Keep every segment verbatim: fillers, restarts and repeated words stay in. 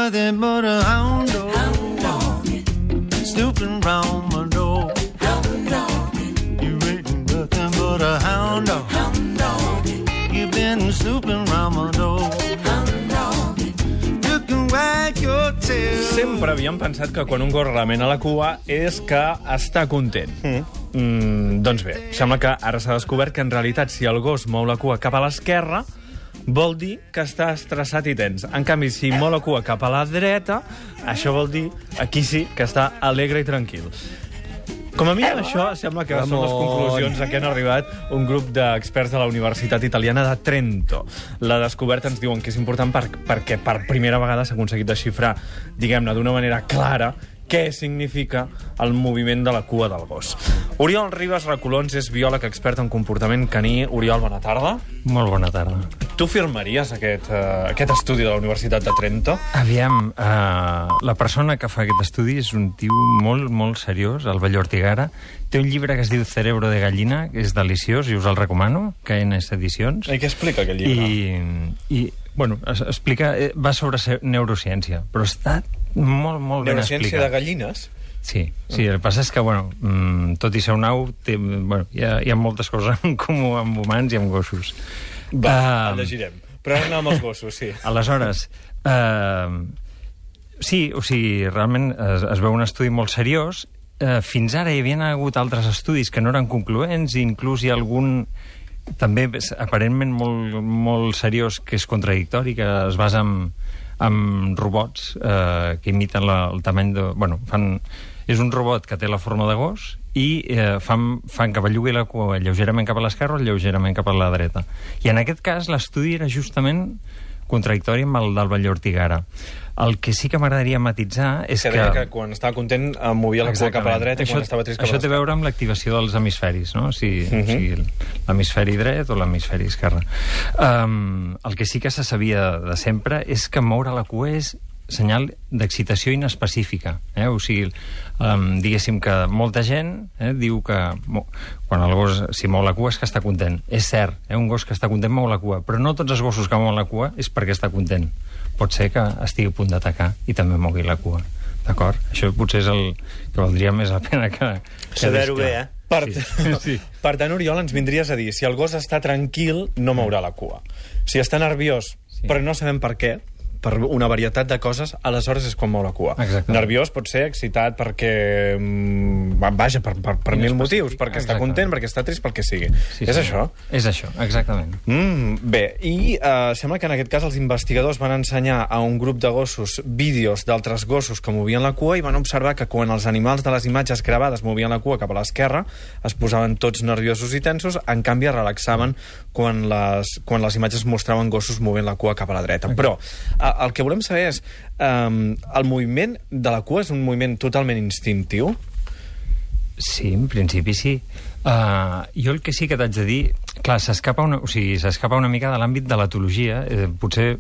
nothing but a hound dog, hound dog. Snooping round my door. Hound dog. You ain't nothing but a hound dog, hound dog. You've been snooping round my door. Hound dog. You can wag your tail. Sempre havíem pensat que quan un gos remena la cua és que està content. Mm. Mm, doncs bé, sembla que ara s'ha descobert que en realitat si el gos mou la cua cap a l'esquerra vol dir que està estressat i tens. En canvi, si mou la cua cap a la dreta, això vol dir, aquí sí, que està alegre i tranquil. Com a mínim, això sembla que són les conclusions a què han arribat un grup d'experts de la Universitat Italiana de Trento. La descoberta ens diuen que és important per, perquè per primera vegada s'ha aconseguit desxifrar, diguem-ne, d'una manera clara, què significa el moviment de la cua del gos. Oriol Ribas Recolons és biòleg expert en comportament caní. Oriol, bona tarda. Molt bona tarda. Tu firmaries aquest, uh, aquest estudi de la Universitat de Trento? Aviam, uh, la persona que fa aquest estudi és un tio molt, molt seriós, el Vall Ortigara. Té un llibre que es diu Cerebro de gallina, que és deliciós i us el recomano, que en és edicions. I què explica aquest llibre? I, i bueno, es, explica, va sobre neurociència, però està molt, molt ben explicat. Neurociència de gallines? Sí, sí, el que passa és que, bueno, tot i ser un au, té, bueno, hi, ha, hi ha moltes coses en comú amb humans i amb gossos. Va, uh, el llegirem. Però ara anem amb els gossos, sí. Aleshores, uh, sí, o sigui, realment es, es veu un estudi molt seriós. Uh, fins ara hi havia hagut altres estudis que no eren concloents, i inclús hi ha algun també aparentment molt, molt seriós que és contradictori, que es basa en, en robots eh, que imiten la, el tamany de... Bueno, fan, és un robot que té la forma de gos i eh, fan, fan que bellugui la cua lleugerament cap a l'esquerra o lleugerament cap a la dreta. I en aquest cas l'estudi era justament contradictori amb el del Vall Ortigara. El que sí que m'agradaria matitzar és que... Que deia que quan estava content movia la cua cap a la dreta i quan estava trist cap a l'esquerra. Això té a veure amb l'activació dels hemisferis, no? Si, uh-huh. o sigui, l'hemisferi dret o l'hemisferi esquerre. Um, el que sí que se sabia de sempre és que moure la cua és senyal d'excitació inespecífica. Eh? O sigui, um, diguéssim que molta gent eh, diu que mo, quan el gos si mou la cua és que està content. És cert, eh? Un gos que està content mou la cua, però no tots els gossos que mouen la cua és perquè està content. Pot ser que estigui a punt d'atacar i també mogui la cua. D'acord? Això potser és el que valdria més la pena que... que saber-ho bé, eh? Per, sí. Sí. Per tant, Oriol, ens vindries a dir, si el gos està tranquil, no mourà la cua. Si està nerviós, sí. però no sabem per què, per una varietat de coses, aleshores és quan mou la cua. Exactament. Nerviós pot ser excitat perquè... Vaja, per, per, per mil motius, perquè està content, perquè està trist, pel que sigui. Sí, és sí. això? És això, exactament. Mm, bé, i uh, sembla que en aquest cas els investigadors van ensenyar a un grup de gossos vídeos d'altres gossos que movien la cua i van observar que quan els animals de les imatges gravades movien la cua cap a l'esquerra es posaven tots nerviosos i tensos, en canvi es relaxaven quan les, quan les imatges mostraven gossos movent la cua cap a la dreta. Okay. Però uh, el que volem saber és um, el moviment de la cua és un moviment totalment instintiu? Sí, en principi sí. Uh, jo el que sí que t'haig de dir... Clar, s'escapa una, o sigui, s'escapa una mica de l'àmbit de l'etologia. Eh, potser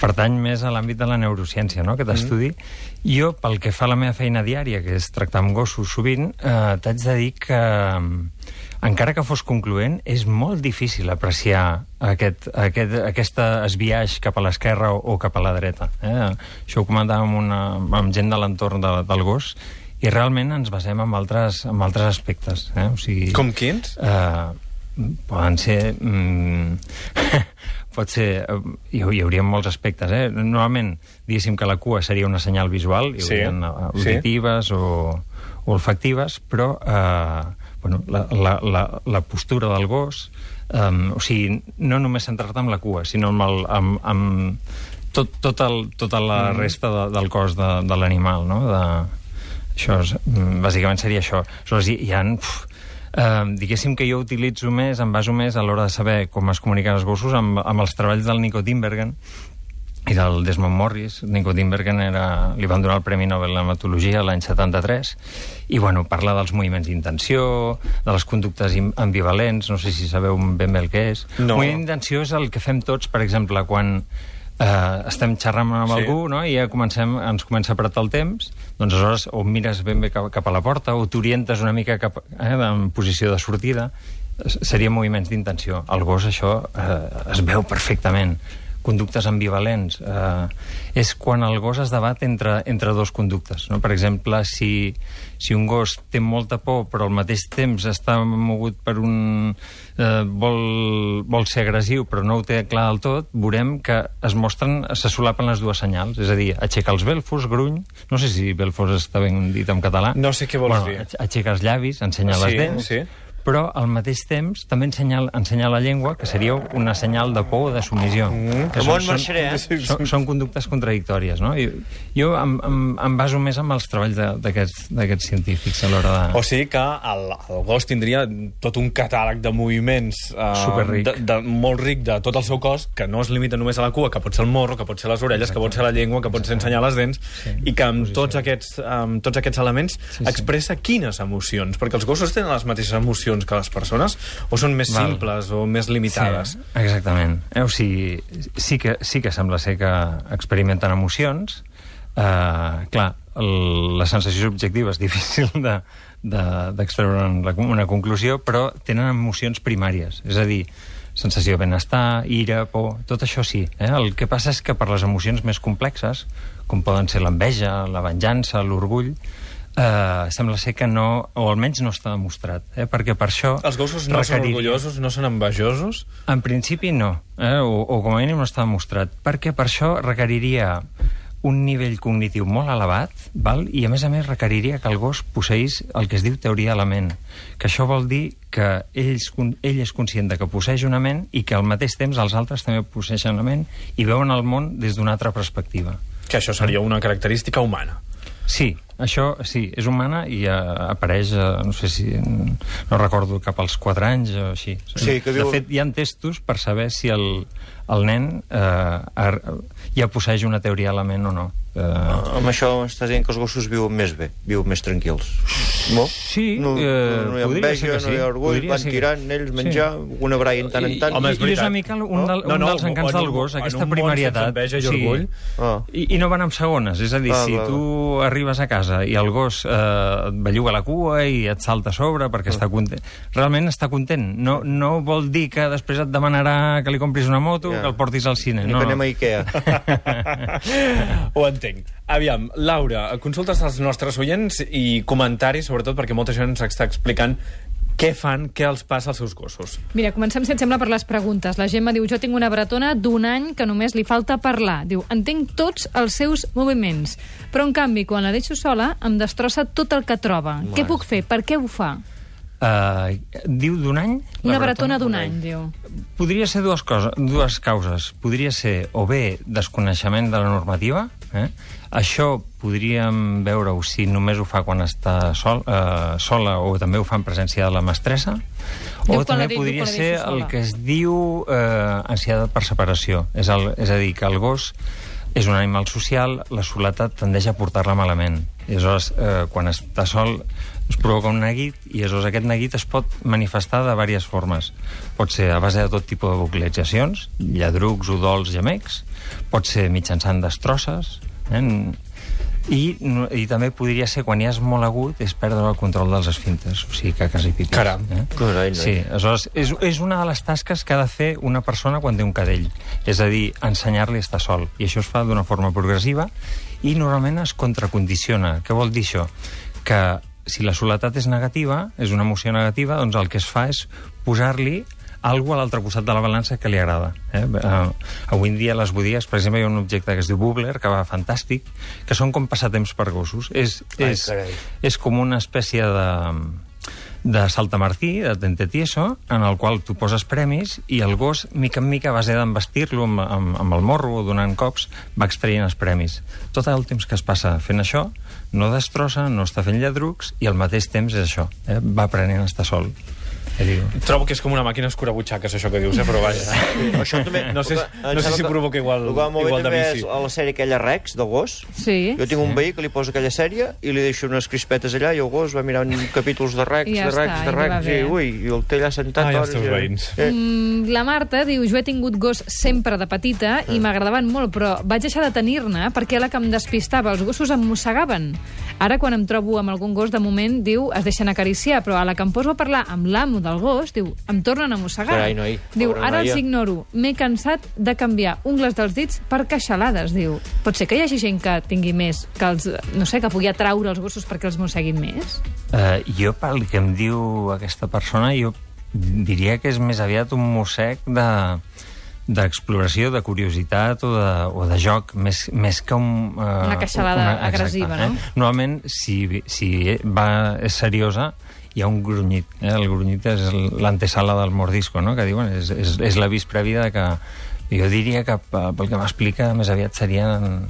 pertany més a l'àmbit de la neurociència, no?, aquest estudi. Mm. Jo, pel que fa a la meva feina diària, que és tractar amb gossos sovint, eh, t'haig de dir que, encara que fos concloent, és molt difícil apreciar aquest, aquest, aquesta esbiaix cap a l'esquerra o, o cap a la dreta. Eh? Això ho comentàvem amb, una, amb gent de l'entorn de, del gos, i realment ens basem en altres, en altres aspectes. Eh? O sigui, com quins? Eh, poden ser... Mm, pot ser... Hi, hi hauria molts aspectes, eh? Normalment, diguéssim que la cua seria una senyal visual, hi haurien sí, auditives sí. o, o olfactives, però eh, bueno, la, la, la, la postura del gos, eh, o sigui, no només centrar-te amb la cua, sinó amb, el, amb, amb tot, tot el, tota la mm. resta de, del cos de, de l'animal, no? De, això és, bàsicament seria això. Aleshores, hi, hi ha... Uf, Uh, diguéssim que jo utilitzo més, em baso més a l'hora de saber com es comuniquen els gossos amb, amb els treballs del Nico Tinbergen i del Desmond Morris. Nico Tinbergen era, li van donar el Premi Nobel en Hematologia l'any setanta-tres i bueno, parla dels moviments d'intenció, de les conductes ambivalents, no sé si sabeu ben bé el que és. No. El moviment d'intenció és el que fem tots, per exemple, quan Uh, estem xerrant amb sí. algú, no? I ja comencem, ens comença a apretar el temps, doncs aleshores o mires ben bé cap, cap a la porta o t'orientes una mica cap, eh, en posició de sortida. Serien moviments d'intenció. Al gos això eh, es veu perfectament. conductes ambivalents. Eh, és quan el gos es debat entre, entre dos conductes. No? Per exemple, si, si un gos té molta por però al mateix temps està mogut per un... Eh, vol, vol ser agressiu però no ho té clar del tot, veurem que es mostren, se solapen les dues senyals. És a dir, aixeca els belfos, gruny... No sé si belfos està ben dit en català. No sé què vols bueno, dir. Aixeca els llavis, ensenya sí, les dents... Sí. però al mateix temps també ensenya, ensenya la llengua, que seria una senyal de por o de submissió. Mm. Que Són, són, eh? són, són conductes contradictòries, no? Jo, jo em, em, em baso més amb els treballs d'aquests científics a l'hora de... O sigui que el, el gos tindria tot un catàleg de moviments eh, de, de, molt ric de tot el seu cos, que no es limita només a la cua, que pot ser el morro, que pot ser les orelles, Exacte. Que pot ser la llengua, que pot ser ensenyar les dents, sí, i que amb tots aquests, amb tots aquests elements sí, sí. expressa quines emocions, perquè els gossos tenen les mateixes emocions que les persones, o són més Val. simples o més limitades? Sí, exactament. Eh, o sigui, sí que, sí que sembla ser que experimenten emocions. Eh, clar, el, la sensació subjectiva és difícil de, de, d'extreure una, una conclusió, però tenen emocions primàries. És a dir, sensació de benestar, ira, por, tot això sí. Eh? El que passa és que per les emocions més complexes, com poden ser l'enveja, la venjança, l'orgull, Uh, sembla ser que no, o almenys no està demostrat, eh? Perquè per això... Els gossos no són orgullosos, no són envejosos? En principi no, eh? o, o com a mínim no està demostrat, perquè per això requeriria un nivell cognitiu molt elevat, val? I a més a més requeriria que el gos posseís el que es diu teoria de la ment, que això vol dir que ell, ell és conscient de que posseeix una ment i que al mateix temps els altres també posseixen la ment i veuen el món des d'una altra perspectiva. Que això seria una característica humana. Sí, això sí, és humana i uh, apareix, uh, no sé si... no recordo, cap als quatre anys o així. Sí, que diu... De fet, hi ha testos per saber si el, el nen uh, ja posseix una teoria de la ment o no. Uh, amb això estàs dient que els gossos viuen més bé, viuen més tranquils. No? Sí, no, eh, no hi ha enveja, no hi ha orgull, van tirant ells menjar, sí. una braia en tant en tant. Home, és I, i és una mica un, del, no? un no, no, dels encants del gos, aquesta primàrietat. Enveja i orgull. Sí. Ah. I, I no van amb segones, és a dir, ah, si clar. tu arribes a casa i el gos eh, et belluga la cua i et salta a sobre perquè ah. està content, realment està content. No, no vol dir que després et demanarà que li compris una moto, yeah. que el portis al cine. Ni no, que anem a Ikea. Ho entenc. Aviam, Laura, consultes als nostres oients i comentaris, sobretot perquè molta gent ens està explicant què fan, què els passa als seus gossos. Mira, comencem, si et sembla, per les preguntes. La Gemma diu, jo tinc una bretona d'un any que només li falta parlar. Diu, entenc tots els seus moviments, però en canvi, quan la deixo sola, em destrossa tot el que troba. Mas. Què puc fer? Per què ho fa? Uh, diu d'un any? Una bretona d'un any, diu. Podria ser dues, coses, dues causes. Podria ser o bé desconeixement de la normativa, eh? Això podríem veure-ho si només ho fa quan està sol, eh, sola o també ho fa en presència de la mestressa, diu, o també podria ser el que es diu eh, ansietat per separació. És, el, és a dir, que el gos és un animal social, la soledat tendeix a portar-la malament. I aleshores, eh, quan està sol, es provoca un neguit, i aleshores aquest neguit es pot manifestar de diverses formes. Pot ser a base de tot tipus de vocalitzacions, lladrucs, udols, gemecs, pot ser mitjançant destrosses, eh? I, i també podria ser, quan ja és molt agut, és perdre el control dels esfínters, o sigui, caques i pipis. Caram. Eh? Carai, no. Sí, aleshores, és, és una de les tasques que ha de fer una persona quan té un cadell, és a dir, ensenyar-li a estar sol, i això es fa d'una forma progressiva i normalment es contracondiciona. Què vol dir això? Que si la soledat és negativa, és una emoció negativa, doncs el que es fa és posar-li algú a l'altre costat de la balança que li agrada. Eh? Uh, avui en dia a les botigues, per exemple, hi ha un objecte que es diu Bubbler, que va fantàstic, que són com passatemps per gossos. És, és, Ai, és com una espècie de, de saltamartí, de tentetieso, en el qual tu poses premis i el gos, mica en mica, a base d'embestir-lo amb, amb, amb el morro o donant cops, va extraient els premis. Tot el temps que es passa fent això, no destrossa, no està fent lladrucs, i al mateix temps és això, eh? va aprenent a estar sol. Trobo que és com una màquina escurabutxaques, això que dius, eh? Però vaja. Això també, no sé, no sé si provoca igual, igual de vici. A la sèrie aquella Rex, del gos, sí. jo tinc un veí que li posa aquella sèrie i li deixo unes crispetes allà i el gos va mirant capítols de Rex, ja de Rex, està, de Rex, i, ui, i el té allà sentat. Ai, els teus veïns. Eh. Mm, la Marta diu, jo he tingut gos sempre de petita i m'agradaven molt, però vaig deixar de tenir-ne perquè a la que em despistava els gossos em mossegaven. Ara, quan em trobo amb algun gos, de moment, diu, es deixen acariciar, però a la que em poso a parlar amb l'amo del gos, diu, em tornen a mossegar. Carai, noi, Diu, pobra ara noia. els ignoro. M'he cansat de canviar ungles dels dits per queixalades, diu. Pot ser que hi hagi gent que tingui més, que els, no sé, que pugui atraure els gossos perquè els mosseguin més? Uh, jo, pel que em diu aquesta persona, jo diria que és més aviat un mossec de d'exploració, de curiositat o de, o de joc, més, més que un... Uh, Una queixalada una, agressiva, no? Eh? Normalment, si, si va, és seriosa, hi ha un grunyit. Eh? El grunyit és l'antesala del mordisco, no? Que diuen, és, és, és l'avís previ de que... Jo diria que, pel que m'explica, més aviat serien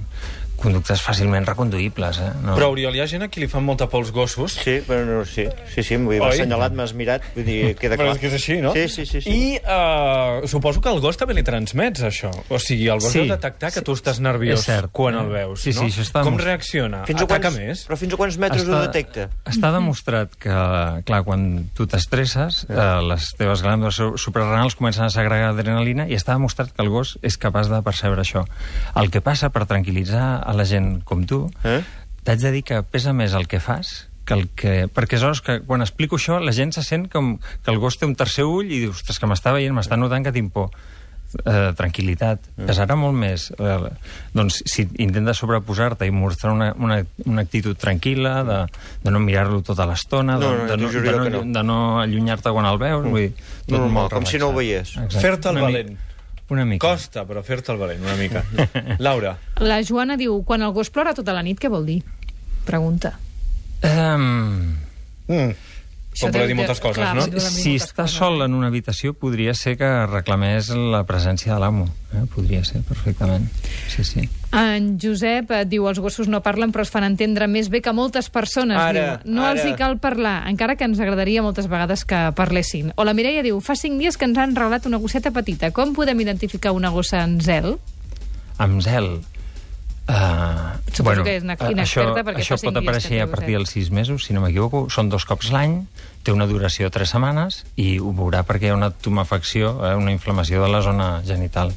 conductes fàcilment reconduïbles. Eh? No? Però, Oriol, hi ha gent a qui li fan molta por els gossos. Sí, però no, sí, sí, sí, m'ho havia Oi? assenyalat, m'has mirat, vull dir, queda Però clar. és que és així, no? Sí, sí, sí. sí. I uh, suposo que al gos també li transmets, això. O sigui, el gos Sí. deu detectar que tu estàs nerviós És cert. quan el veus, Sí, sí, no? això està Com demostrat. reacciona? Fins a Ataca quants, més? Però fins a quants metres ho detecta? Està demostrat que, clar, quan tu t'estresses, eh, les teves glàndules su- suprarrenals comencen a segregar adrenalina i està demostrat que el gos és capaç de percebre això. El que passa, per tranquil·litzar a la gent com tu, Eh? t'haig de dir que pesa més el que fas que el que... Perquè aleshores, que quan explico això, la gent se sent com que el gos té un tercer ull i dius, ostres, que m'està veient, m'està notant que tinc por. Eh, tranquil·litat. Mm. Pesarà molt més. Eh, doncs, si intentes sobreposar-te i mostrar una, una, una actitud tranquil·la, de, de no mirar-lo tota l'estona, de, No, no, de, t'ho no, juro de, jo no, que no. de no allunyar-te quan el veus, mm. vull dir, tot Normal, molt com si no ho relaxat. veiés. Exacte. Fer-te el Una mi- valent. Una mica. Costa, però fer-te el valent, una mica. Laura. La Joana diu, quan el gos plora tota la nit, què vol dir? Pregunta. Um, Mm. Això Com podria deu- dir moltes coses, clar, no? deu- si moltes està coses. sol en una habitació, podria ser que reclamés la presència de l'amo. Eh? Podria ser, perfectament. Sí, sí. En Josep eh, diu, els gossos no parlen però es fan entendre més bé que moltes persones. Ara, diu. No ara. els hi cal parlar, encara que ens agradaria moltes vegades que parlessin. O la Mireia diu, fa cinc dies que ens han regalat una gosseta petita. Com podem identificar una gossa en zel? Amb zel. Uh, Suposo que és una eh, inexperta això, perquè això fa cinc pot dies que aparèixer té a partir gosset. dels sis mesos, si no m'equivoco. Són dos cops l'any, té una duració de tres setmanes i ho veurà perquè hi ha una tumefacció, eh, una inflamació de la zona genital.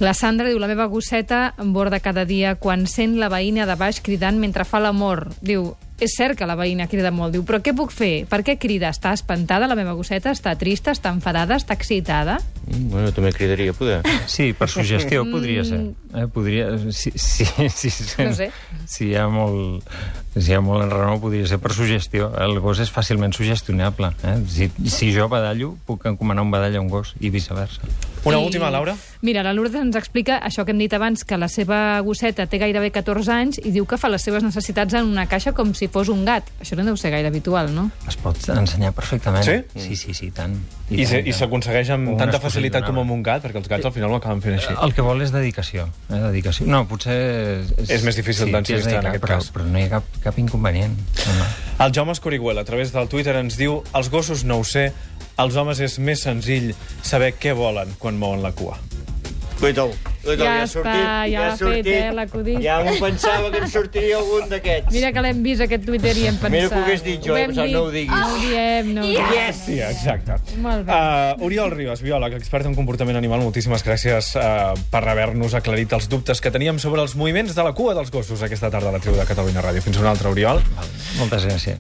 La Sandra diu, la meva gosseta em borda cada dia quan sent la veïna de baix cridant mentre fa l'amor. Diu, és cert que la veïna crida molt. Diu, però què puc fer? Per què crida? Està espantada la meva gosseta? Està trista? Està enfadada? Està excitada? Mm, bueno, també cridaria, poder. Sí, per suggestió podria ser. Eh, podria, si, si, si, si, No sé. si hi ha molt, si hi ha molt enrenou, podria ser per suggestió. El gos és fàcilment sugestionable. Eh? Si, si jo badallo, puc encomanar un badall a un gos i viceversa. Una I- última, Laura? Mira, la Lourdes ens explica això que hem dit abans, que la seva gosseta té gairebé catorze anys i diu que fa les seves necessitats en una caixa com si fos un gat. Això no deu ser gaire habitual, no? Es pot ensenyar perfectament. Sí? Sí, sí, sí, tant. I, se- tant, i tant. s'aconsegueix amb Com tanta una facilitat com esposellonada. amb un gat, perquè els gats al final ho acaben fent així. El que vol és dedicació. Eh? dedicació. No, potser... És més difícil sí, d'enregistrar en dedicar, aquest però, cas. Però no hi ha cap, cap inconvenient. No, no. El Jaume Escorihuela, a través del Twitter, ens diu els gossos no ho sé, els homes és més senzill saber què volen quan mouen la cua. Cuita-ho. Cuita-ho, Ja ha està, sortit, ja ha l'ha fet, sortit. eh, l'acudit. Ja m'ho pensava que em sortiria algun d'aquests. Mira que l'hem vist, aquest Twitter, i hem pensat... Mira que ho hagués dit jo, Ho he hem pensat, dit. no ho diguis. No ho diem, no ho diem. Yes! Sí, exacte. Molt bé. Uh, Oriol Ribas, biòleg, expert en comportament animal, moltíssimes gràcies uh, per haver-nos aclarit els dubtes que teníem sobre els moviments de la cua dels gossos aquesta tarda a la tribu de Catalunya Ràdio. Fins una altra, Oriol. Moltes gràcies.